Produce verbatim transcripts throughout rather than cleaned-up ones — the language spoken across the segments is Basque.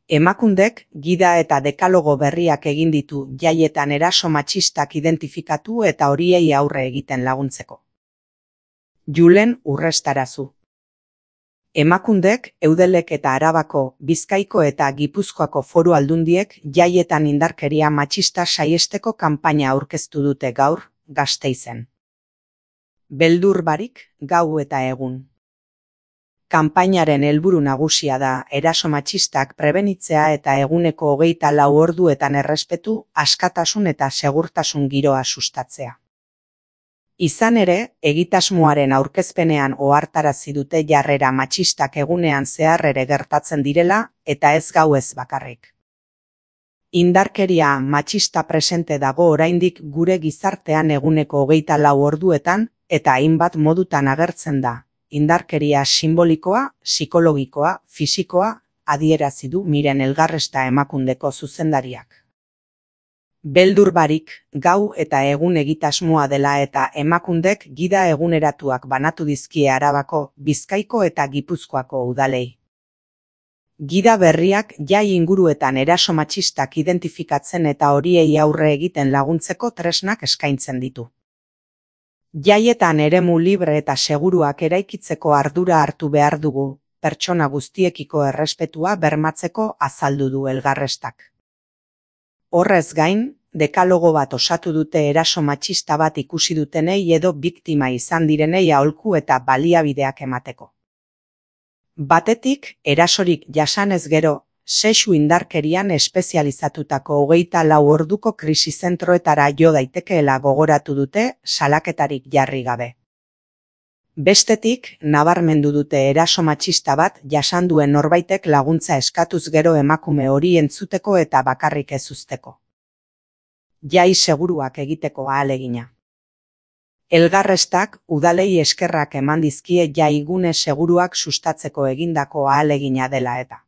Emakundek gida eta dekalogo berriak egin ditu jaietan eraso matxistak identifikatu eta horiei aurre egiten laguntzeko. Julen Urrestarazu. Emakundek Eudelek eta Arabako, Bizkaiko eta Gipuzkoako foru aldundiek jaietan indarkeria matxista saiesteko kanpaina aurkeztu dute gaur, Gasteizen. Beldur barik, gau eta egun. Kanpainaren helburu nagusia da eraso matxistak prebenitzea eta eguneko hogeita lau orduetan errespetu, askatasun eta segurtasun giroa sustatzea. Izan ere, egitasmoaren aurkezpenean ohartarazi dute jarrera matxistak egunean zehar ere gertatzen direla eta ez gauez bakarrik. Indarkeria matxista presente dago oraindik gure gizartean eguneko hogeita lau orduetan eta hainbat modutan agertzen da. Indarkeria simbolikoa, psikologikoa, fisikoa, adierazi du Miren Elgarresta Emakundeko zuzendariak. Beldur barik, gau eta egun egitasmoa dela eta Emakundek gida eguneratuak banatu dizkie Arabako, Bizkaiko eta Gipuzkoako udalei. Gida berriak jai inguruetan eraso matxistak identifikatzen eta horiei aurre egiten laguntzeko tresnak eskaintzen ditu. Jaietan eremu libre eta seguruak eraikitzeko ardura hartu behar dugu, pertsona guztiekiko errespetua bermatzeko azaldu du Elgarrestak. Horrez gain, dekalogo bat osatu dute eraso matxista bat ikusi dutenei edo biktima izan direnei aholku eta baliabideak emateko. Batetik, erasorik jasanez gero, sexu indarkerian espezializatutako hogeita lau orduko krisi zentroetara jo daitekeela gogoratu dute salaketarik jarri gabe. Bestetik, nabarmendu dute eraso matxista bat jasan duen norbaitek laguntza eskatuz gero emakume hori entzuteko eta bakarrik ez uzteko. Jai seguruak egiteko ahalegina. Elgarrestak udalei eskerrak eman dizkie jaigune seguruak sustatzeko egindako ahalegina dela eta.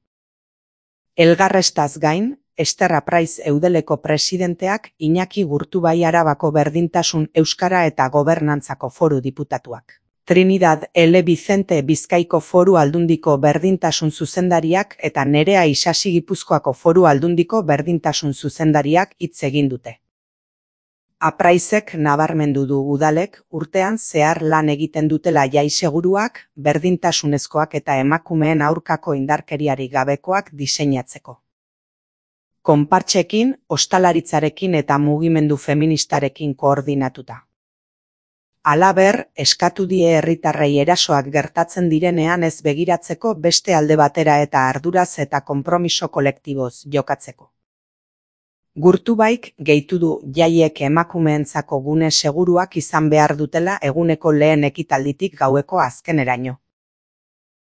Elgarrestaz gain, Ester Apraiz Eudeleko presidenteak Iñaki Gurtubai Arabako berdintasun euskara eta gobernantzako foru diputatuak. Trinidad L. Vicente Bizkaiko foru aldundiko berdintasun zuzendariak eta Nerea Isasi Gipuzkoako foru aldundiko berdintasun zuzendariak hitz egin dute. Apraizek nabarmendu du udalek urtean zehar lan egiten dutela jai seguruak, berdintasunezkoak eta emakumeen aurkako indarkeriari gabekoak diseinatzeko. Konpartxekin, ostalaritzarekin eta mugimendu feministarekin koordinatuta. Halaber, eskatu die herritarrei erasoak gertatzen direnean ez begiratzeko beste alde batera eta arduraz eta konpromiso kolektiboz jokatzeko. Gurtubaik gehitu du jaiek emakumeentzako gune seguruak izan behar dutela eguneko lehen ekitalditik gaueko azkeneraino.